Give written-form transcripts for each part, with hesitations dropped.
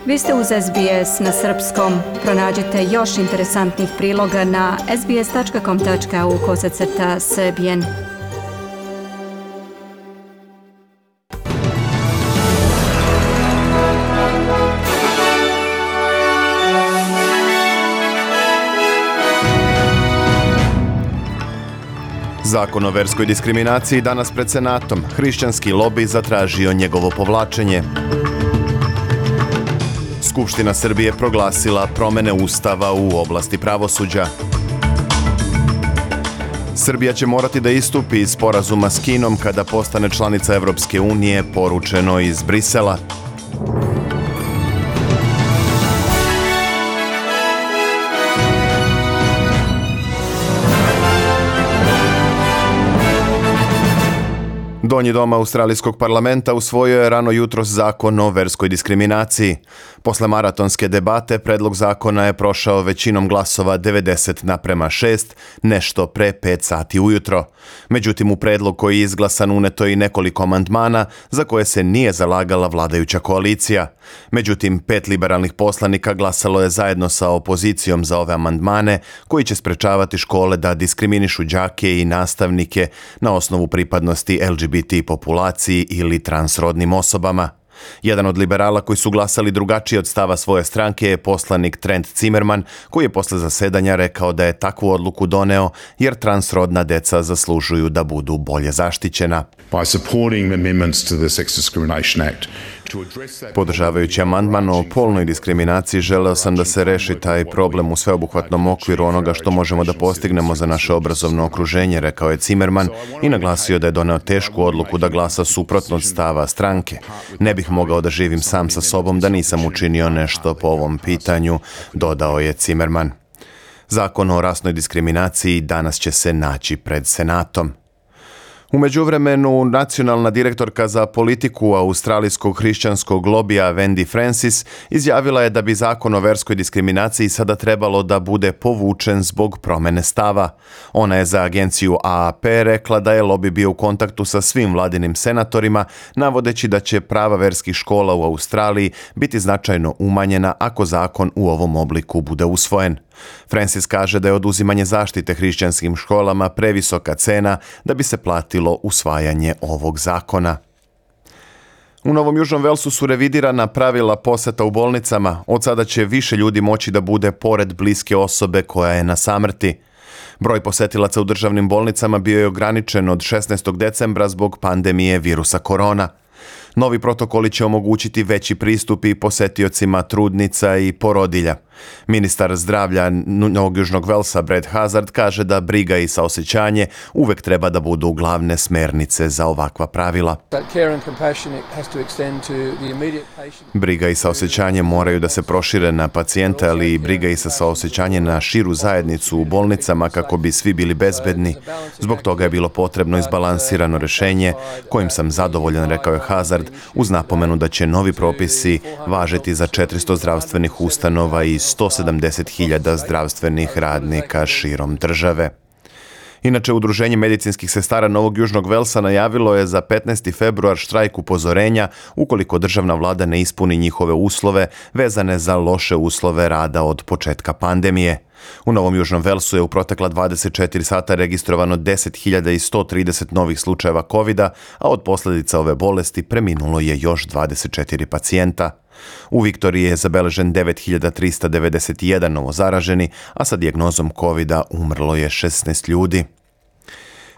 Vi ste uz SBS na srpskom. Pronađite još interesantnih priloga na sbs.com.au/srbijen. Zakon o verskoj diskriminaciji danas pred Senatom. Hrišćanski lobi zatražio njegovo povlačenje. Skupština Srbije proglasila promene Ustava u oblasti pravosuđa. Srbija će morati da istupi iz sporazuma s Kinom kada postane članica Evropske unije, poručeno iz Brisela. Donji dom Australijskog parlamenta usvojio je rano jutros zakon o verskoj diskriminaciji. Posle maratonske debate, predlog zakona je prošao većinom glasova 90:6, nešto pre 5 sati ujutro. Međutim, u predlog koji je izglasan uneto i nekoliko amandmana za koje se nije zalagala vladajuća koalicija. Međutim, 5 liberalnih poslanika glasalo je zajedno sa opozicijom za ove amandmane koji će sprečavati škole da diskriminišu đake i nastavnike na osnovu pripadnosti LGBT populaciji ili transrodnim osobama. Jedan od liberala koji su glasali drugačije od stava svoje stranke je poslanik Trent Zimmerman, koji je posle zasedanja rekao da je takvu odluku doneo jer transrodna deca zaslužuju da budu bolje zaštićena. Podržavajući amandman o polnoj diskriminaciji, želeo sam da se reši taj problem u sveobuhvatnom okviru onoga što možemo da postignemo za naše obrazovno okruženje, rekao je Zimmerman i naglasio da je doneo tešku odluku da glasa suprotno od stava stranke. Ne bih mogao da živim sam sa sobom da nisam učinio nešto po ovom pitanju, dodao je Zimmerman. Zakon o rasnoj diskriminaciji danas će se naći pred Senatom. U međuvremenu, nacionalna direktorka za politiku australijskog hrišćanskog lobija Wendy Francis izjavila je da bi zakon o verskoj diskriminaciji sada trebalo da bude povučen zbog promene stava. Ona je za agenciju AAP rekla da je lobi bio u kontaktu sa svim vladinim senatorima, navodeći da će prava verskih škola u Australiji biti značajno umanjena ako zakon u ovom obliku bude usvojen. Francis kaže da je oduzimanje zaštite hrišćanskim školama previsoka cena da bi se platilo usvajanje ovog zakona. U Novom Južnom Velsu su revidirana pravila poseta u bolnicama. Od sada će više ljudi moći da bude pored bliske osobe koja je na samrti. Broj posetilaca u državnim bolnicama bio je ograničen od 16. decembra zbog pandemije virusa korona. Novi protokoli će omogućiti veći pristup i posetiocima trudnica i porodilja. Ministar zdravlja Novog Južnog Velsa Brad Hazard kaže da briga i saosećanje uvek treba da budu glavne smernice za ovakva pravila. Briga i saosećanje moraju da se prošire na pacijenta, ali i briga i saosećanje na širu zajednicu u bolnicama kako bi svi bili bezbedni. Zbog toga je bilo potrebno izbalansirano rešenje kojim sam zadovoljan, rekao je Hazard, uz napomenu da će novi propisi važiti za 400 zdravstvenih ustanova i 170.000 zdravstvenih radnika širom države. Inače, Udruženje medicinskih sestara Novog Južnog Velsa najavilo je za 15. februar štrajk upozorenja ukoliko državna vlada ne ispuni njihove uslove vezane za loše uslove rada od početka pandemije. U Novom Južnom Velsu je u protekla 24 sata registrovano 10.130 novih slučajeva COVID-a, a od posljedica ove bolesti preminulo je još 24 pacijenta. U Viktoriji je zabeležen 9.391 novozaraženi, a sa dijagnozom COVID-a umrlo je 16 ljudi.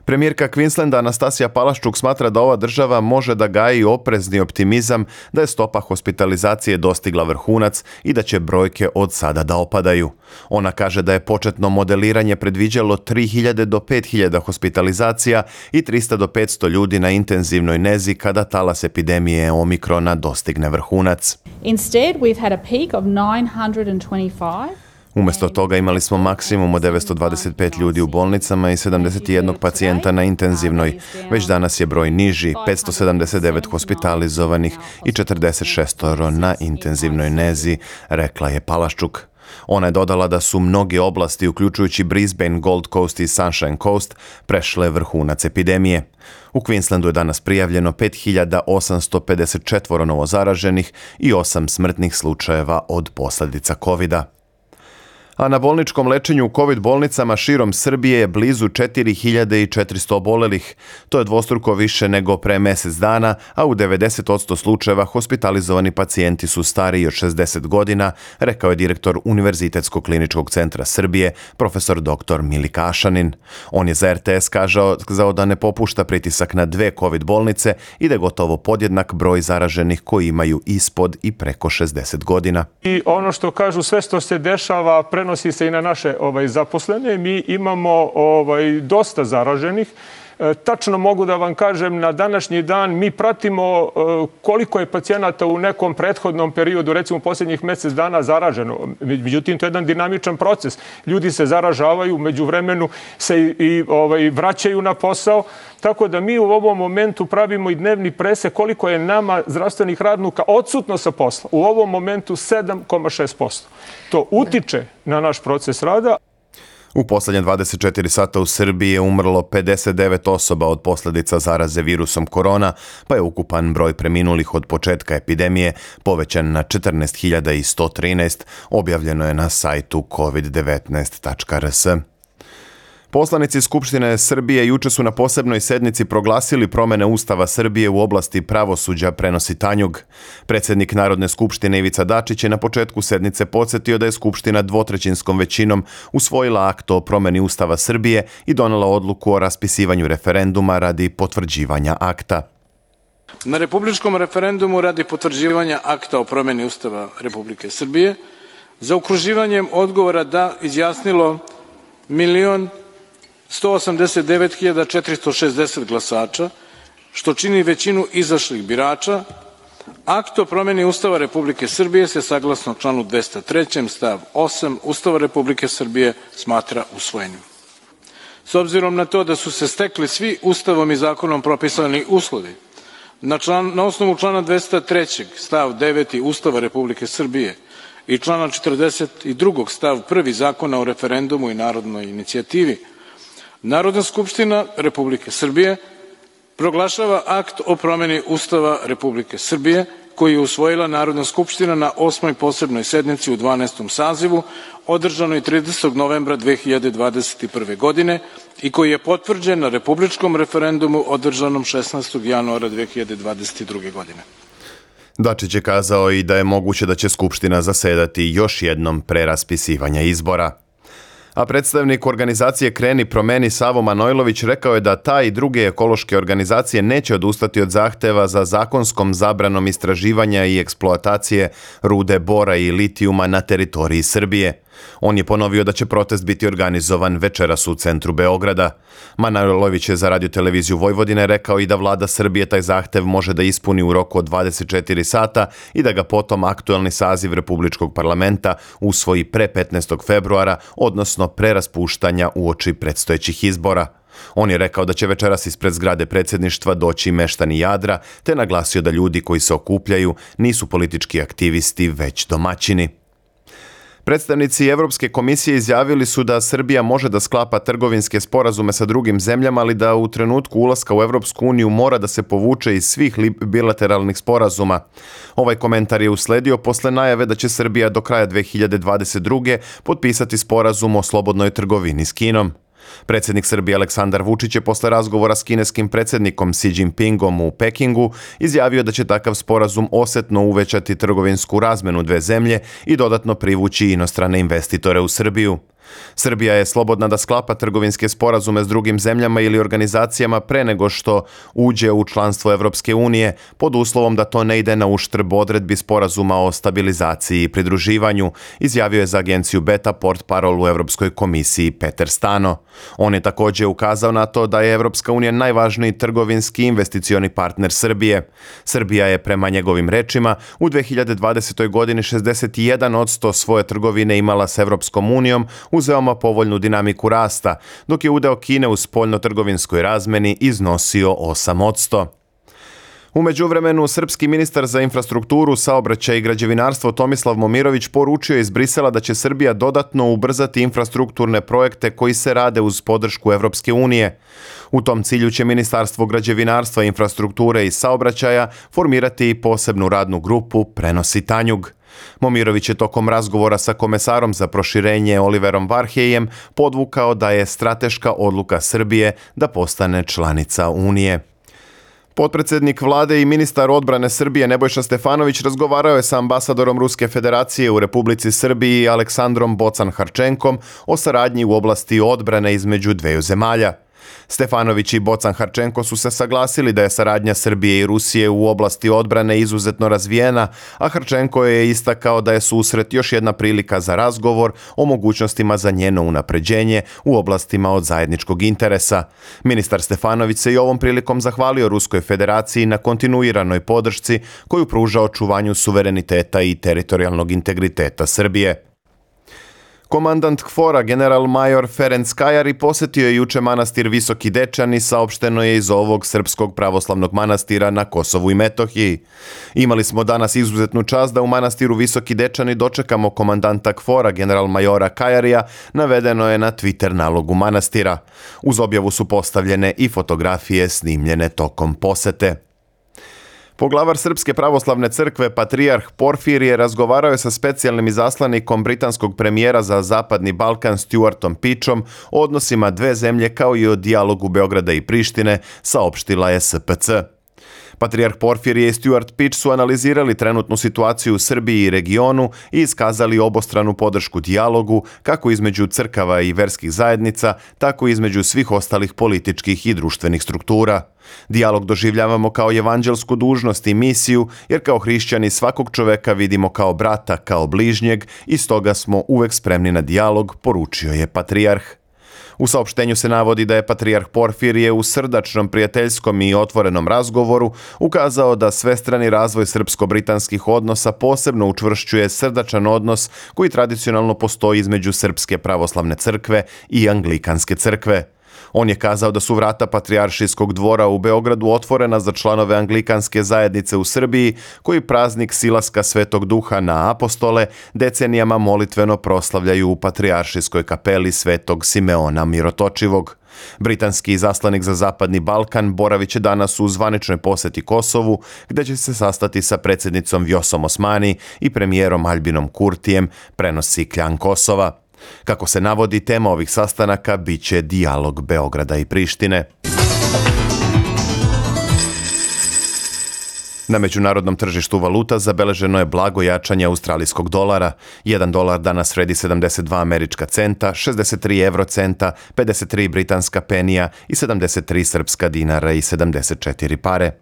Premijerka Queenslanda Anastasija Palaščuk smatra da ova država može da gaji oprezni optimizam da je stopa hospitalizacije dostigla vrhunac i da će brojke od sada da opadaju. Ona kaže da je početno modeliranje predviđalo 3.000 do 5.000 hospitalizacija i 300 do 500 ljudi na intenzivnoj nezi kada talas epidemije Omikrona dostigne vrhunac. Instead, we've had a peak of 925. Umjesto toga imali smo maksimum od 925 ljudi u bolnicama i 71 pacijenta na intenzivnoj. Već danas je broj niži, 579 hospitalizovanih i 46 na intenzivnoj nezi, rekla je Palaščuk. Ona je dodala da su mnoge oblasti, uključujući Brisbane, Gold Coast i Sunshine Coast, prešle vrhunac epidemije. U Queenslandu je danas prijavljeno 5854 novozaraženih i 8 smrtnih slučajeva od posljedica COVID-a. A na bolničkom lečenju u COVID bolnicama širom Srbije je blizu 4400 obolelih. To je dvostruko više nego pre mjesec dana, a u 90% slučajeva hospitalizovani pacijenti su stariji od 60 godina, rekao je direktor Univerzitetskog kliničkog centra Srbije, profesor dr. Milika Ašanin. On je za RTS kazao da ne popušta pritisak na 2 COVID bolnice i da je gotovo podjednak broj zaraženih koji imaju ispod i preko 60 godina. I ono što kažu, sve što se dešava prenosi se i na naše zaposlene. Mi imamo dosta zaraženih. Tačno mogu da vam kažem, na današnji dan mi pratimo koliko je pacijenata u nekom prethodnom periodu, recimo posljednjih mjesec dana, zaraženo. Međutim, to je jedan dinamičan proces. Ljudi se zaražavaju, međuvremenu se i vraćaju na posao. Tako da mi u ovom momentu pravimo i dnevni presek koliko je nama zdravstvenih radnika odsutno sa posla. U ovom momentu 7,6%. To utiče na naš proces rada. U posljednje 24 sata u Srbiji je umrlo 59 osoba od posljedica zaraze virusom korona, pa je ukupan broj preminulih od početka epidemije povećan na 14.113, objavljeno je na sajtu covid19.rs. Poslanici Skupštine Srbije juče su na posebnoj sednici proglasili promjene Ustava Srbije u oblasti pravosuđa, prenosi Tanjug. Predsjednik Narodne skupštine Ivica Dačić je na početku sednice podsjetio da je Skupština dvotrećinskom većinom usvojila akt o promjeni Ustava Srbije i donela odluku o raspisivanju referenduma radi potvrđivanja akta. Na republičkom referendumu radi potvrđivanja akta o promjeni Ustava Republike Srbije zaokruživanjem odgovora da izjasnilo 1.189.460 glasača, što čini većinu izašlih birača. Akt o promjeni Ustava Republike Srbije se saglasno članu 203. stav 8 Ustava Republike Srbije smatra usvojenim. S obzirom na to da su se stekli svi Ustavom i zakonom propisani uslovi, na osnovu člana 203. stav 9. Ustava Republike Srbije i člana 42. stav 1. Zakona o referendumu i narodnoj inicijativi, Narodna skupština Republike Srbije proglašava akt o promjeni Ustava Republike Srbije koji je usvojila Narodna skupština na 8. posebnoj sednici u 12. sazivu održanoj 30. novembra 2021. godine i koji je potvrđen na republičkom referendumu održanom 16. januara 2022. godine. Dačić je kazao i da je moguće da će Skupština zasedati još jednom pre raspisivanja izbora. A predstavnik organizacije Kreni promeni Savo Manojlović rekao je da ta i druge ekološke organizacije neće odustati od zahteva za zakonskom zabranom istraživanja i eksploatacije rude bora i litijuma na teritoriji Srbije. On je ponovio da će protest biti organizovan večeras u centru Beograda. Manojlović je za Radio-televiziju Vojvodine rekao i da vlada Srbije taj zahtev može da ispuni u roku od 24 sata i da ga potom aktuelni saziv Republičkog parlamenta usvoji pre 15. februara, odnosno pre raspuštanja uoči predstojećih izbora. On je rekao da će večeras ispred zgrade predsjedništva doći meštani Jadra, te naglasio da ljudi koji se okupljaju nisu politički aktivisti, već domaćini. Predstavnici Evropske komisije izjavili su da Srbija može da sklapa trgovinske sporazume sa drugim zemljama, ali da u trenutku ulaska u Evropsku uniju mora da se povuče iz svih bilateralnih sporazuma. Ovaj komentar je usledio posle najave da će Srbija do kraja 2022. potpisati sporazum o slobodnoj trgovini s Kinom. Predsjednik Srbije Aleksandar Vučić je posle razgovora s kineskim predsjednikom Xi Jinpingom u Pekingu izjavio da će takav sporazum osetno uvećati trgovinsku razmenu dve zemlje i dodatno privući inostrane investitore u Srbiju. Srbija je slobodna da sklapa trgovinske sporazume s drugim zemljama ili organizacijama pre nego što uđe u članstvo Evropske unije, pod uslovom da to ne ide na uštrb odredbi sporazuma o stabilizaciji i pridruživanju, izjavio je za agenciju Beta portparol u Evropskoj komisiji Peter Stano. On je također ukazao na to da je Evropska unija najvažniji trgovinski investicioni partner Srbije. Srbija je prema njegovim rečima u 2020. godini 61% svoje trgovine imala s Evropskom unijom uz veoma povoljnu dinamiku rasta, dok je udeo Kine u spoljno-trgovinskoj razmeni iznosio 8%. U međuvremenu, srpski ministar za infrastrukturu, saobraćaj i građevinarstvo Tomislav Momirović poručio iz Brisela da će Srbija dodatno ubrzati infrastrukturne projekte koji se rade uz podršku Evropske unije. U tom cilju će Ministarstvo građevinarstva, infrastrukture i saobraćaja formirati i posebnu radnu grupu, prenosi Tanjug. Momirović je tokom razgovora sa komesarom za proširenje Oliverom Varheljem podvukao da je strateška odluka Srbije da postane članica Unije. Potpredsednik vlade i ministar odbrane Srbije Nebojša Stefanović razgovarao je sa ambasadorom Ruske federacije u Republici Srbiji Aleksandrom Bocan-Harčenkom o saradnji u oblasti odbrane između dveju zemalja. Stefanović i Bocan-Harčenko su se saglasili da je saradnja Srbije i Rusije u oblasti odbrane izuzetno razvijena, a Harčenko je istakao da je susret još jedna prilika za razgovor o mogućnostima za njeno unapređenje u oblastima od zajedničkog interesa. Ministar Stefanović se i ovom prilikom zahvalio Ruskoj federaciji na kontinuiranoj podršci koju pruža očuvanju suvereniteta i teritorijalnog integriteta Srbije. Komandant KFOR-a general major Ferenc Kajari posetio je juče manastir Visoki Dečani, saopšteno je iz ovog srpskog pravoslavnog manastira na Kosovu i Metohiji. Imali smo danas izuzetnu čast da u manastiru Visoki Dečani dočekamo komandanta KFOR-a general majora Kajarija, navedeno je na Twitter nalogu manastira. Uz objavu su postavljene i fotografije snimljene tokom posete. Poglavar Srpske pravoslavne crkve, patrijarh Porfirije, razgovarao je sa specijalnim izaslanikom britanskog premijera za Zapadni Balkan Stuartom Pitchom o odnosima dve zemlje kao i o dijalogu Beograda i Prištine, saopštila je SPC. Patrijarh Porfirije i Stuart Pitch su analizirali trenutnu situaciju u Srbiji i regionu i iskazali obostranu podršku dijalogu kako između crkava i verskih zajednica, tako i između svih ostalih političkih i društvenih struktura. Dijalog doživljavamo kao evanđelsku dužnost i misiju, jer kao hrišćani svakog čoveka vidimo kao brata, kao bližnjeg i stoga smo uvek spremni na dijalog, poručio je patrijarh. U saopštenju se navodi da je patrijarh Porfirije u srdačnom, prijateljskom i otvorenom razgovoru ukazao da svestrani razvoj srpsko-britanskih odnosa posebno učvršćuje srdačan odnos koji tradicionalno postoji između Srpske pravoslavne crkve i Anglikanske crkve. On je kazao da su vrata Patrijaršijskog dvora u Beogradu otvorena za članove Anglikanske zajednice u Srbiji, koji praznik silaska Svetog Duha na apostole decenijama molitveno proslavljaju u Patrijaršijskoj kapeli Svetog Simeona Mirotočivog. Britanski izaslanik za Zapadni Balkan boravit će danas u zvaničnoj poseti Kosovu, gde će se sastati sa predsjednicom Vjosom Osmani i premijerom Albinom Kurtijem, prenosi Kljan Kosova. Kako se navodi, tema ovih sastanaka biće dijalog Beograda i Prištine. Na međunarodnom tržištu valuta zabeleženo je blago jačanje australijskog dolara. 1 dolar danas vredi 72 američka centa, 63 eurocenta, 53 britanska penija i 73 srpska dinara i 74 pare.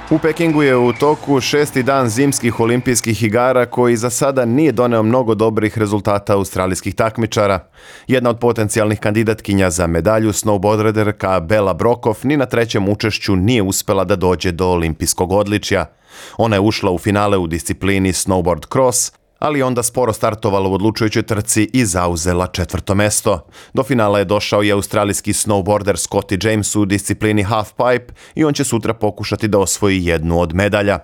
U Pekingu je u toku 6. dan zimskih olimpijskih igara koji za sada nije doneo mnogo dobrih rezultata australijskih takmičara. Jedna od potencijalnih kandidatkinja za medalju, snowboarderka Bela Brokov, ni na trećem učešću nije uspela da dođe do olimpijskog odličja. Ona je ušla u finale u disciplini snowboard cross, ali onda sporo startovala u odlučujućoj trci i zauzela 4. mesto. Do finala je došao i australijski snowboarder Scotty James u disciplini halfpipe i on će sutra pokušati da osvoji jednu od medalja.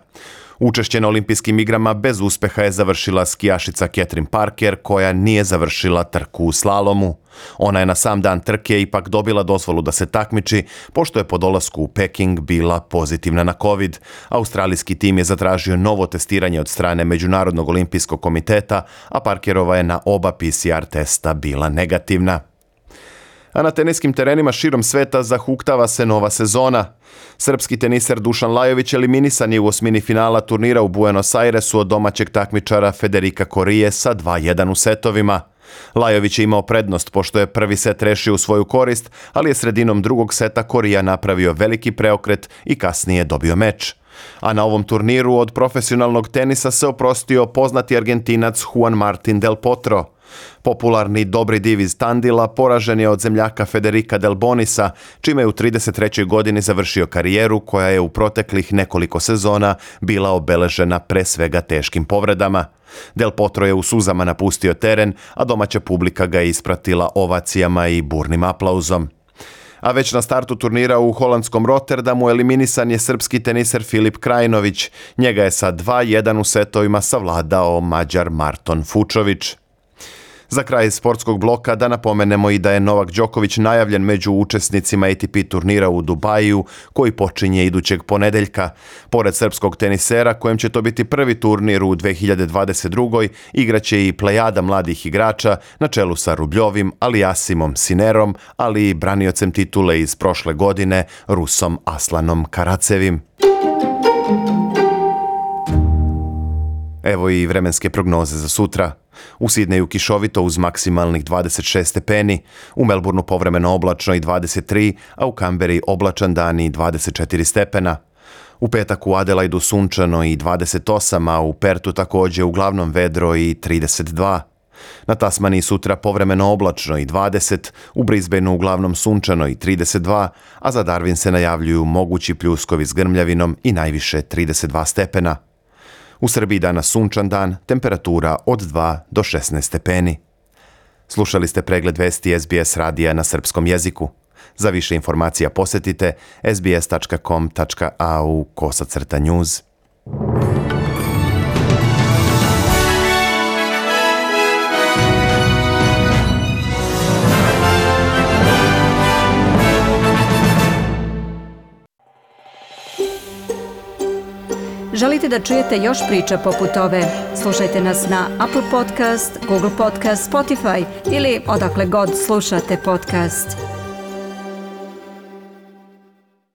Učešće na olimpijskim igrama bez uspeha je završila skijašica Catherine Parker, koja nije završila trku u slalomu. Ona je na sam dan trke ipak dobila dozvolu da se takmiči, pošto je po dolasku u Peking bila pozitivna na COVID. Australijski tim je zatražio novo testiranje od strane Međunarodnog olimpijskog komiteta, a Parkerova je na oba PCR testa bila negativna. A na teniskim terenima širom sveta zahuktava se nova sezona. Srpski teniser Dušan Lajović eliminisan je u osmini finala turnira u Buenos Airesu od domaćeg takmičara Federika Korije sa 2:1 u setovima. Lajović je imao prednost pošto je prvi set rešio u svoju korist, ali je sredinom drugog seta Korija napravio veliki preokret i kasnije dobio meč. A na ovom turniru od profesionalnog tenisa se oprostio poznati Argentinac Juan Martín del Potro. Popularni Dobri div iz Tandila poražen je od zemljaka Federica Delbonisa, čime je u 33. godini završio karijeru koja je u proteklih nekoliko sezona bila obeležena pre svega teškim povredama. Del Potro je u suzama napustio teren, a domaća publika ga je ispratila ovacijama i burnim aplauzom. A već na startu turnira u holandskom Rotterdamu eliminisan je srpski teniser Filip Krajinović. Njega je sa 2-1 u setovima savladao Mađar Marton Fučović. Za kraj sportskog bloka da napomenemo i da je Novak Đoković najavljen među učesnicima ATP turnira u Dubaju, koji počinje idućeg ponedeljka. Pored srpskog tenisera, kojem će to biti prvi turnir u 2022. igraće i plejada mladih igrača na čelu sa Rubljovim, Aliasimom Sinerom, ali i braniocem titule iz prošle godine, Rusom Aslanom Karacevim. Evo i vremenske prognoze za sutra. U Sidneju kišovito uz maksimalnih 26 stepeni, u Melbourneu povremeno oblačno i 23, a u Kamberi oblačan dan i 24 stepena. U petak u Adelaidu sunčano i 28, a u Pertu također uglavnom vedro i 32. Na Tasmaniji sutra povremeno oblačno i 20, u Brisbaneu uglavnom sunčano i 32, a za Darwin se najavljuju mogući pljuskovi s grmljavinom i najviše 32 stepena. U Srbiji danas sunčan dan, temperatura od 2 do 16 stepeni. Slušali ste pregled vesti SBS radija na srpskom jeziku. Za više informacija posjetite sbs.com.au/news. Želite da čujete još priča poput ove? Slušajte nas na Apple Podcast, Google Podcast, Spotify ili odakle god slušate podcast.